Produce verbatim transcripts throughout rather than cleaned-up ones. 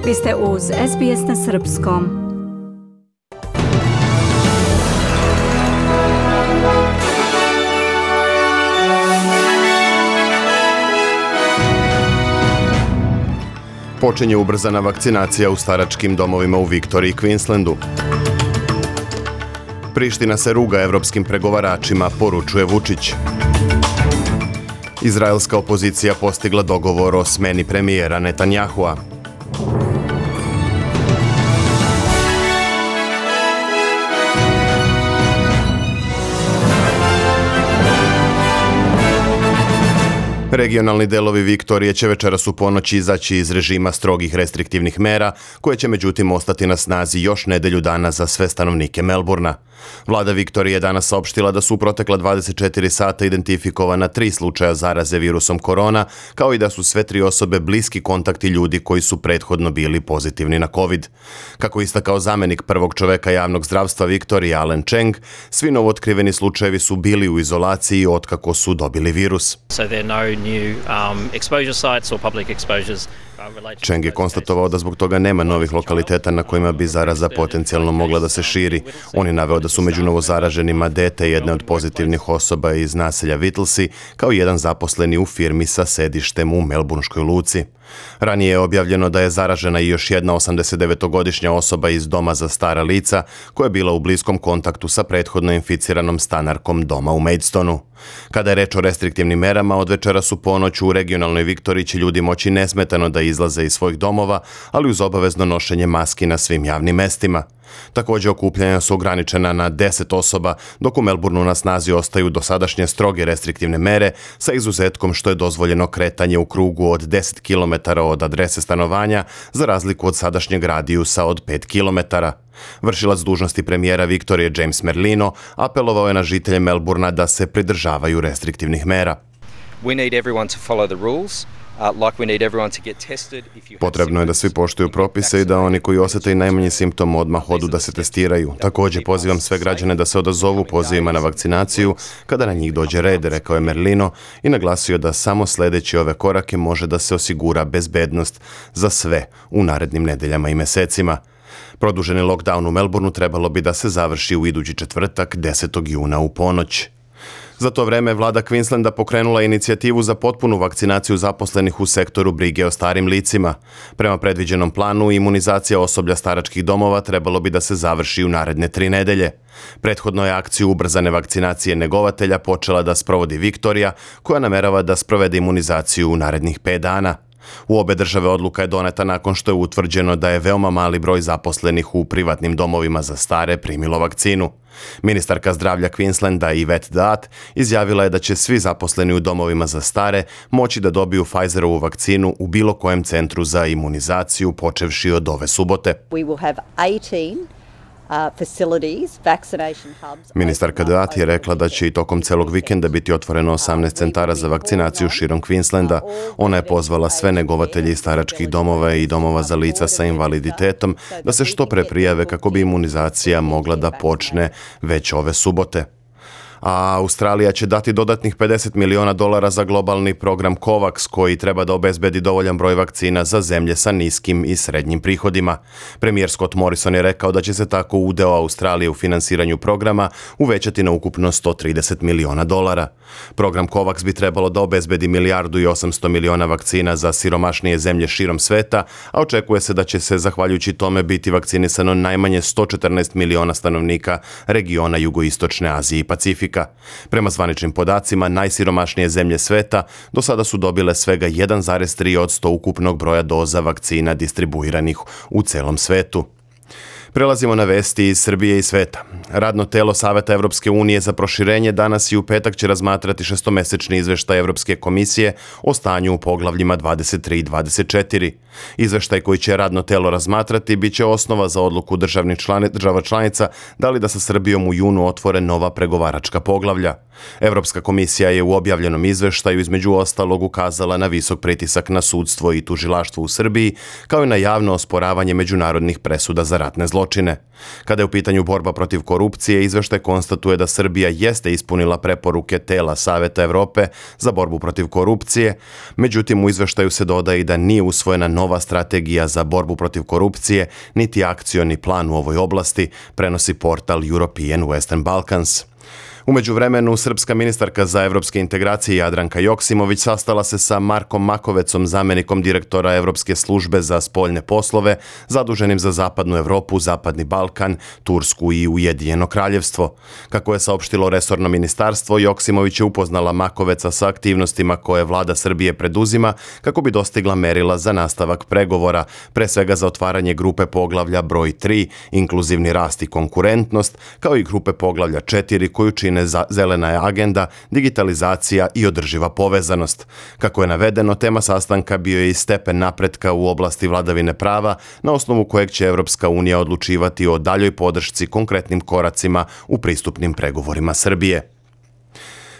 Vi ste uz S B S na srpskom. Počinje ubrzana vakcinacija u staračkim domovima u Viktoriji i Queenslandu. Priština se ruga evropskim pregovaračima, poručuje Vučić. Izraelska opozicija postigla dogovor o smeni premijera Netanjahua. Regionalni delovi Viktorije će večeras u ponoć izaći iz režima strogih restriktivnih mera, koje će međutim ostati na snazi još nedelju dana za sve stanovnike Melbourna. Vlada Viktorije je danas saopštila da su u protekla dvadeset četiri sata identifikovana tri slučaja zaraze virusom korona, kao i da su sve tri osobe bliski kontakti ljudi koji su prethodno bili pozitivni na COVID. Kako istakao zamenik prvog čoveka javnog zdravstva Viktorije Alan Cheng, svi novootkriveni slučajevi su bili u izolaciji otkako su dobili virus. Cheng je konstatovao da zbog toga nema novih lokaliteta na kojima bi zaraza potencijalno mogla da se širi. On je naveo da su među novozaraženima dete jedne od pozitivnih osoba iz naselja Whittlesea, kao jedan zaposleni u firmi sa sedištem u Melbourneškoj luci. Ranije je objavljeno da je zaražena i još jedna osamdesetdevetogodišnja osoba iz doma za stara lica, koja je bila u bliskom kontaktu sa prethodno inficiranom stanarkom doma u Maidstonu. Kada je reč o restriktivnim merama, od večeras u ponoć u regionalnoj Viktoriji će ljudi moći nesmetano da izlaze iz svojih domova, ali uz obavezno nošenje maski na svim javnim mestima. Također okupljanja su ograničena na deset osoba, dok u Melbourneu na snazi ostaju dosadašnje stroge restriktivne mere, sa izuzetkom što je dozvoljeno kretanje u krugu od deset kilometara od adrese stanovanja, za razliku od sadašnjeg radijusa od pet kilometara. Vršilac dužnosti premijera Viktorije James Merlino apelovao je na žitelje Melbourna da se pridržavaju restriktivnih mera. We need everyone to follow the rules. Potrebno je da svi poštuju propise i da oni koji osjete i najmanji simptom odmah odu da se testiraju. Također pozivam sve građane da se odazovu pozivima na vakcinaciju kada na njih dođe red, rekao je Merlino i naglasio da samo sledeći ove korake može da se osigura bezbednost za sve u narednim nedeljama i mesecima. Produženi lockdown u Melbourneu trebalo bi da se završi u idući četvrtak, desetog juna u ponoć. Za to vreme vlada Queenslanda pokrenula inicijativu za potpunu vakcinaciju zaposlenih u sektoru brige o starim licima. Prema predviđenom planu, imunizacija osoblja staračkih domova trebalo bi da se završi u naredne tri nedelje. Prethodno je akciju ubrzane vakcinacije negovatelja počela da sprovodi Viktorija, koja namerava da sprovede imunizaciju u narednih pet dana. U obe države odluka je doneta nakon što je utvrđeno da je veoma mali broj zaposlenih u privatnim domovima za stare primilo vakcinu. Ministarka zdravlja Queenslanda Yvette Daat izjavila je da će svi zaposleni u domovima za stare moći da dobiju Pfizerovu vakcinu u bilo kojem centru za imunizaciju počevši od ove subote. We will have eighteen Uh, facilities, vaccination hubs. Ministarka Daat je rekla da će i tokom celog vikenda biti otvoreno osamnaest centara za vakcinaciju širom Queenslanda. Ona je pozvala sve negovatelje iz staračkih domova i domova za lica sa invaliditetom da se što pre prijave kako bi imunizacija mogla da počne već ove subote. A Australija će dati dodatnih pedeset miliona dolara za globalni program COVAX, koji treba da obezbedi dovoljan broj vakcina za zemlje sa niskim i srednjim prihodima. Premijer Scott Morrison je rekao da će se tako udeo Australije u finansiranju programa uvećati na ukupno sto trideset miliona dolara. Program COVAX bi trebalo da obezbedi milijardu i osamsto miliona vakcina za siromašnije zemlje širom sveta, a očekuje se da će se zahvaljujući tome biti vakcinisano najmanje sto četrnaest miliona stanovnika regiona Jugoistočne Azije i Pacifika. Prema zvaničnim podacima, najsiromašnije zemlje sveta do sada su dobile svega jedan zarez tri posto ukupnog broja doza vakcina distribuiranih u celom svetu. Prelazimo na vesti iz Srbije i sveta. Radno telo Saveta Evropske unije za proširenje danas i u petak će razmatrati šestomesečni izveštaj Evropske komisije o stanju u poglavljima dvadeset tri i dvadeset četiri. Izveštaj koji će radno telo razmatrati bit će osnova za odluku državnih člani, država članica da li da sa Srbijom u junu otvore nova pregovaračka poglavlja. Evropska komisija je u objavljenom izveštaju između ostalog ukazala na visok pritisak na sudstvo i tužilaštvo u Srbiji, kao i na javno osporavanje međunarodnih presuda za ratne zločine. zločine. Kada je u pitanju borba protiv korupcije, izveštaj konstatuje da Srbija jeste ispunila preporuke tela Saveta Evrope za borbu protiv korupcije, međutim u izveštaju se dodaje i da nije usvojena nova strategija za borbu protiv korupcije, niti akcioni plan u ovoj oblasti, prenosi portal European Western Balkans. U međuvremenu, srpska ministarka za evropske integracije Jadranka Joksimović sastala se sa Markom Makovecom, zamenikom direktora Evropske službe za spoljne poslove, zaduženim za Zapadnu Evropu, Zapadni Balkan, Tursku i Ujedinjeno kraljevstvo. Kako je saopštilo resorno ministarstvo, Joksimović je upoznala Makoveca sa aktivnostima koje vlada Srbije preduzima kako bi dostigla merila za nastavak pregovora, pre svega za otvaranje grupe poglavlja broj tri, inkluzivni rast i konkurentnost, kao i grupe poglavlja četiri koju čine za zelena agenda, digitalizacija i održiva povezanost. Kako je navedeno, tema sastanka bio je i stepen napretka u oblasti vladavine prava, na osnovu kojeg će Evropska unija odlučivati o daljoj podršci konkretnim koracima u pristupnim pregovorima Srbije.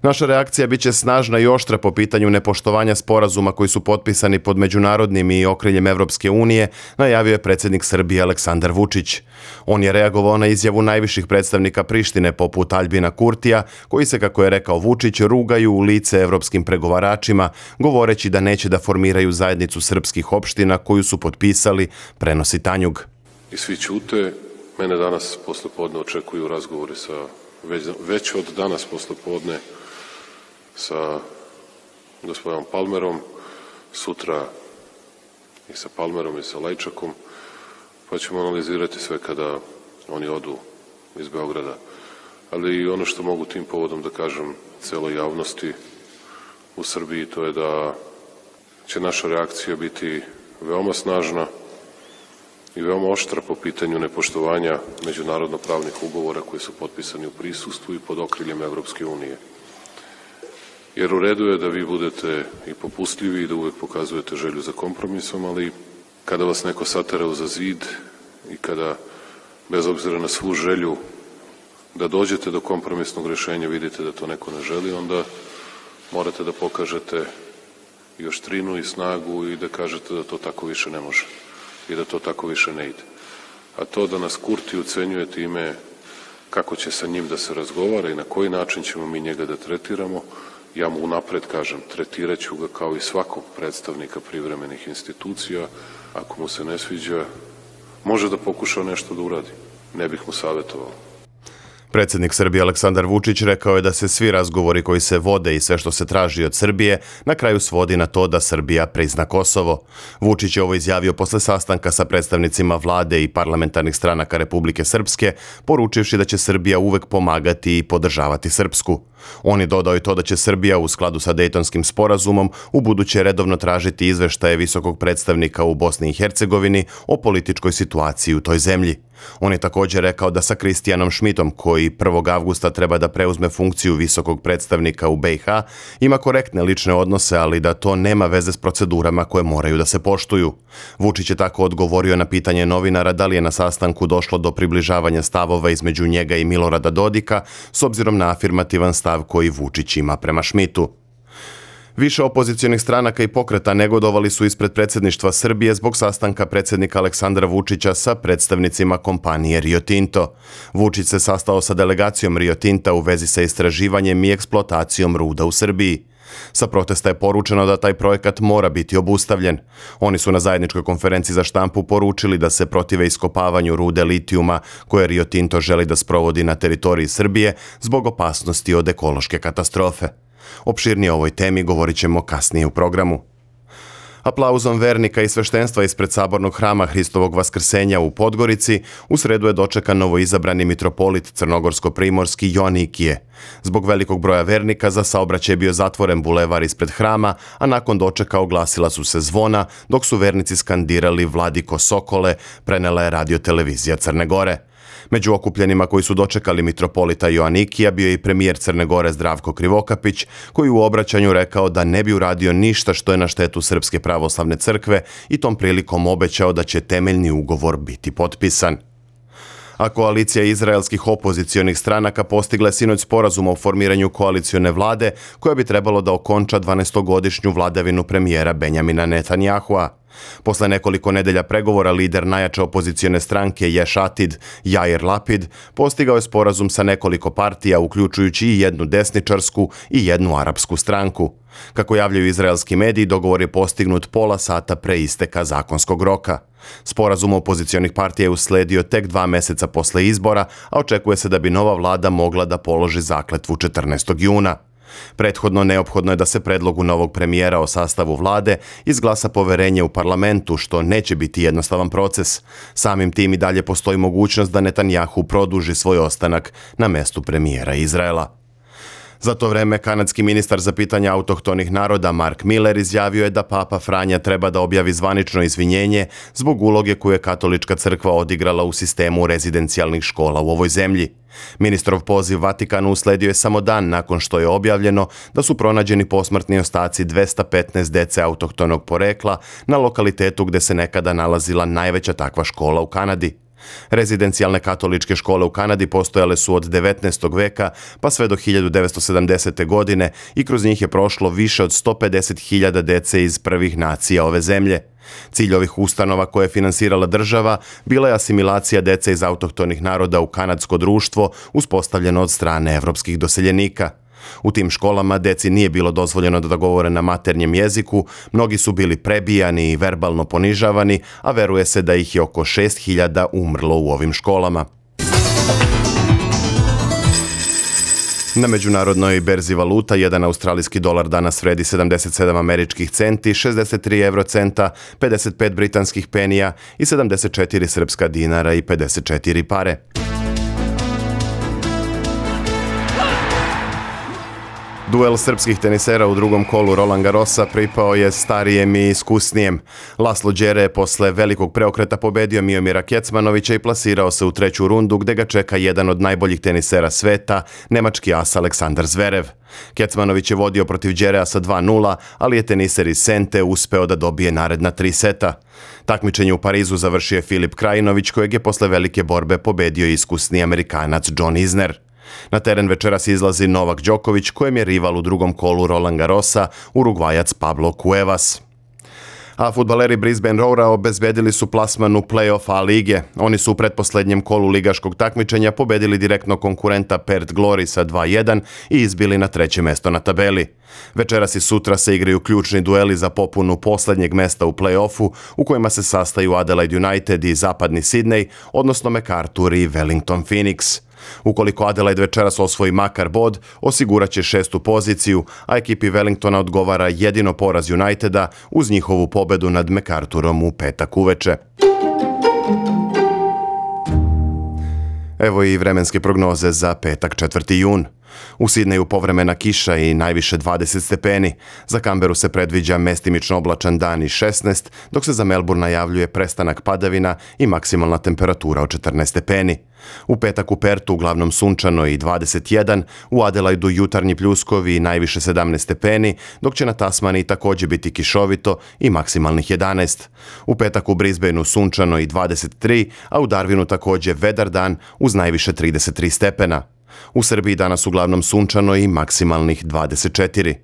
Naša reakcija biće snažna i oštra po pitanju nepoštovanja sporazuma koji su potpisani pod međunarodnim i okriljem Evropske unije, najavio je predsjednik Srbije Aleksandar Vučić. On je reagovao na izjavu najviših predstavnika Prištine poput Aljbina Kurtija, koji se, kako je rekao Vučić, rugaju u lice evropskim pregovaračima, govoreći da neće da formiraju zajednicu srpskih opština koju su potpisali, prenosi Tanjug. I svi ćute. Mene danas poslepodne očekuju razgovori sa, već, već od danas poslepodne sa gospodinom Palmerom, sutra i sa Palmerom i sa Lajčakom, pa ćemo analizirati sve kada oni odu iz Beograda. Ali ono što mogu tim povodom da kažem celoj javnosti u Srbiji, to je da će naša reakcija biti veoma snažna i veoma oštra po pitanju nepoštovanja međunarodno-pravnih ugovora koji su potpisani u prisustvu i pod okriljem Evropske unije. Jer u redu je da vi budete i popustljivi i da uvek pokazujete želju za kompromisom, ali kada vas neko satera uza zid i kada, bez obzira na svu želju da dođete do kompromisnog rešenja, vidite da to neko ne želi, onda morate da pokažete i oštrinu i snagu i da kažete da to tako više ne može i da to tako više ne ide. A to da nas Kurti ucenjuje time kako će sa njim da se razgovara i na koji način ćemo mi njega da tretiramo, ja mu unapred kažem, tretirat ću ga kao i svakog predstavnika privremenih institucija. Ako mu se ne sviđa, može da pokuša nešto da uradi. Ne bih mu savjetovao. Predsjednik Srbije Aleksandar Vučić rekao je da se svi razgovori koji se vode i sve što se traži od Srbije na kraju svodi na to da Srbija prizna Kosovo. Vučić je ovo izjavio posle sastanka sa predstavnicima vlade i parlamentarnih stranaka Republike Srpske, poručivši da će Srbija uvek pomagati i podržavati Srpsku. On je dodao i to da će Srbija u skladu sa Dejtonskim sporazumom u buduće redovno tražiti izveštaje visokog predstavnika u Bosni i Hercegovini o političkoj situaciji u toj zemlji. On je također rekao da sa Kristijanom Šmitom, koji prvog avgusta treba da preuzme funkciju visokog predstavnika u be i ha, ima korektne lične odnose, ali da to nema veze s procedurama koje moraju da se poštuju. Vučić je tako odgovorio na pitanje novinara da li je na sastanku došlo do približavanja stavova između njega i Milorada Dodika, s obzirom na afirmativan stav koji Vučić ima prema Šmitu. Više opozicionih stranaka i pokreta negodovali su ispred predsjedništva Srbije zbog sastanka predsjednika Aleksandra Vučića sa predstavnicima kompanije Rio Tinto. Vučić se sastao sa delegacijom Rio Tinta u vezi sa istraživanjem i eksploatacijom ruda u Srbiji. Sa protesta je poručeno da taj projekat mora biti obustavljen. Oni su na zajedničkoj konferenciji za štampu poručili da se protive iskopavanju rude litijuma koje Rio Tinto želi da sprovodi na teritoriji Srbije zbog opasnosti od ekološke katastrofe. Opširnije o ovoj temi govorit ćemo kasnije u programu. Aplauzom vernika i sveštenstva ispred sabornog hrama Hristovog Vaskrsenja u Podgorici u sredu je dočekan novoizabrani mitropolit crnogorsko-primorski Joanikije. Zbog velikog broja vernika za saobraćaj je bio zatvoren bulevar ispred hrama, a nakon dočeka oglasila su se zvona, dok su vernici skandirali Vladiko Sokole, prenela je radio-televizija Crne Gore. Među okupljenima koji su dočekali mitropolita Joanikija bio je i premijer Crne Gore Zdravko Krivokapić, koji u obraćanju rekao da ne bi uradio ništa što je na štetu Srpske pravoslavne crkve i tom prilikom obećao da će temeljni ugovor biti potpisan. A koalicija izraelskih opozicionih stranaka postigla je sinoć sporazum o formiranju koalicione vlade koja bi trebalo da okonča dvanaestogodišnju vladavinu premijera Benjamina Netanjahua. Posle nekoliko nedelja pregovora lider najjače opozicione stranke Ješ Atid, Jair Lapid, postigao je sporazum sa nekoliko partija, uključujući i jednu desničarsku i jednu arapsku stranku. Kako javljaju izraelski mediji, dogovor je postignut pola sata pre isteka zakonskog roka. Sporazum opozicionih partija je usledio tek dva meseca posle izbora, a očekuje se da bi nova vlada mogla da položi zakletvu četrnaestog juna. Prethodno neophodno je da se predlogu novog premijera o sastavu vlade izglasa poverenje u parlamentu, što neće biti jednostavan proces. Samim tim i dalje postoji mogućnost da Netanjahu produži svoj ostanak na mestu premijera Izraela. Za to vreme kanadski ministar za pitanja autohtonih naroda Mark Miller izjavio je da Papa Franja treba da objavi zvanično izvinjenje zbog uloge koju je katolička crkva odigrala u sistemu rezidencijalnih škola u ovoj zemlji. Ministrov poziv Vatikanu usledio je samo dan nakon što je objavljeno da su pronađeni posmrtni ostaci dvesta petnaest dece autohtonog porekla na lokalitetu gde se nekada nalazila najveća takva škola u Kanadi. Rezidencijalne katoličke škole u Kanadi postojale su od devetnaestog veka pa sve do hiljadu devetsto sedamdesete. godine i kroz njih je prošlo više od sto pedeset hiljada dece iz prvih nacija ove zemlje. Cilj ovih ustanova koje je finansirala država bila je asimilacija dece iz autohtonih naroda u kanadsko društvo uspostavljeno od strane evropskih doseljenika. U tim školama deci nije bilo dozvoljeno da govore na maternjem jeziku, mnogi su bili prebijani i verbalno ponižavani, a veruje se da ih je oko šest hiljada umrlo u ovim školama. Na međunarodnoj berzi valuta jedan australijski dolar danas vredi sedamdeset sedam američkih centi, šezdeset tri evrocenta, pedeset pet britanskih penija i sedamdeset četiri srpska dinara i pedeset četiri pare. Duel srpskih tenisera u drugom kolu Roland Garrosa pripao je starijem i iskusnijem. Laslo Đere je posle velikog preokreta pobedio Miomira Kecmanovića i plasirao se u treću rundu gde ga čeka jedan od najboljih tenisera sveta, nemački as Aleksandar Zverev. Kecmanović je vodio protiv Đerea sa dva nula, ali je teniser iz Sente uspeo da dobije naredna tri seta. Takmičenje u Parizu završio je Filip Krajinović, kojeg je posle velike borbe pobedio iskusni Amerikanac John Isner. Na teren večeras izlazi Novak Đoković, kojem je rival u drugom kolu Roland Garrosa, Urugvajac Pablo Cuevas. A fudbaleri Brisbane Roara obezbedili su plasman u play-off A lige. Oni su u pretposlednjem kolu ligaškog takmičenja pobedili direktno konkurenta Perth Glory sa dva jedan i izbili na treće mesto na tabeli. Večeras i sutra se igraju ključni dueli za popunu poslednjeg mesta u play-offu, u kojima se sastaju Adelaide United i Zapadni Sidney, odnosno MacArthur i Wellington Phoenix. Ukoliko Adelaide večeras osvoji makar bod, osigurat će šestu poziciju, a ekipi Wellingtona odgovara jedino poraz Uniteda uz njihovu pobedu nad MacArthurom u petak uveče. Evo i vremenske prognoze za petak četvrti jun. U Sidneju povremena kiša i najviše dvadeset stepeni. Za Kamberu se predviđa mestimično oblačan dan i šesnaest, dok se za Melbourne najavljuje prestanak padavina i maksimalna temperatura od četrnaest stepeni. U petak u Pertu uglavnom sunčano i dvadeset jedan, u Adelaidu jutarnji pljuskovi i najviše sedamnaest stepeni, dok će na Tasmaniji također biti kišovito i maksimalnih jedanaest. U petak u Brisbaneu sunčano i dvadeset tri, a u Darwinu također vedar dan uz najviše trideset tri stepena. U Srbiji danas uglavnom sunčano i maksimalnih dvadeset četiri.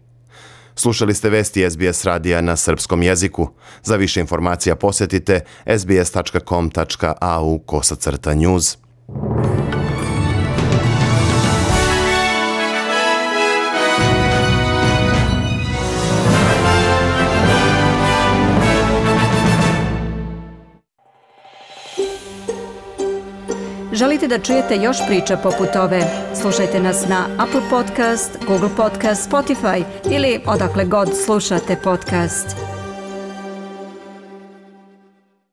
Slušali ste vesti S B S radija na srpskom jeziku. Za više informacija posjetite s b s tačka com tačka a u kosacrta news. Želite da čujete još priča poput ove? Slušajte nas na Apple Podcast, Google Podcast, Spotify ili odakle god slušate podcast.